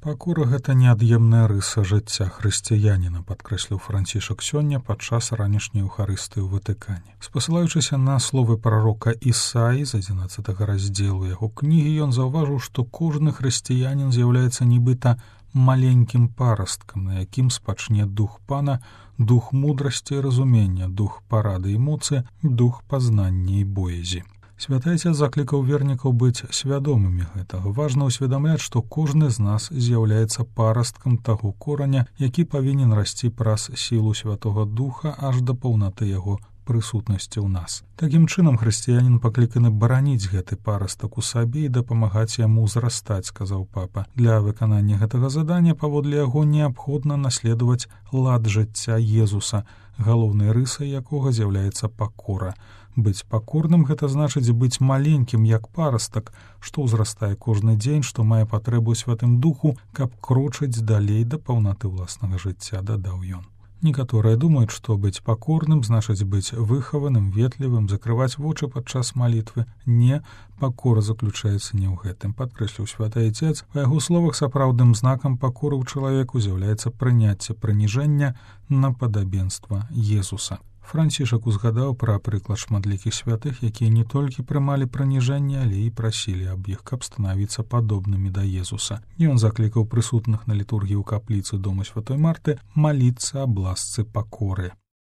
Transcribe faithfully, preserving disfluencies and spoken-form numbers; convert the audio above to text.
Пакора — гэта неад'емная рыса жыцця хрысціяніна, падкрэсліў Францішак сёння падчас ранішняй еўхарыстыі ў Ватыкане. Спасылаючыся на словы прарока Ісаі з адзінаццатага раздзелу яго кнігі, ён заўважыў, што кожны хрысціянін з'яўляецца нібыта маленькім парасткам, на якім спачне дух Пана, дух мудрасці і разумення, дух парады і моцы, дух пазнання і боязі. Святы Ацец заклікаў вернікаў быць свядомымі гэтага. Важна ўсведамляць, што кожны з нас з'яўляецца парасткам таго кораня, які павінен расці праз сілу Святога Духа аж да паўнаты яго прысутнасці ў нас. Такім чынам хрысціянін пакліканы бараніць гэты парастак у сабе і дапамагаць яму ўзрастаць, сказаў папа. Для выканання гэтага задання паводле яго неабходна наследаваць лад жыцця Езуса, галоўнай рысай якога з'яўляецца пакора. Быць пакорным — гэта значыць быць маленькім, як парастак, што ўзрастае кожны дзень, што мае патрэбу ў Святым Духу, каб крочыць далей да паўнаты ўласнага жыцця, дадаў ён. Некаторыя думаюць, што быць пакорным значыць быць выхаваным, ветлівым, закрываць вочы падчас малітвы. Не, пакора заключаецца не ў гэтым, падкрэсліў Святы Ацец. Па яго словах, сапраўдным знакам пакоры ў чалавеку з'яўляецца прыняцце прыніжэння на падабенства Езуса. Францішак узгадаў пра прыклад шматлікіх святых, якія не толькі прымалі прыніжэнне, але і прасілі аб іх, каб станавіцца падобнымі да Езуса. Ён заклікаў прысутных на літургіі ў капліцы дома Святой Марты маліцца аб ласцы пакоры.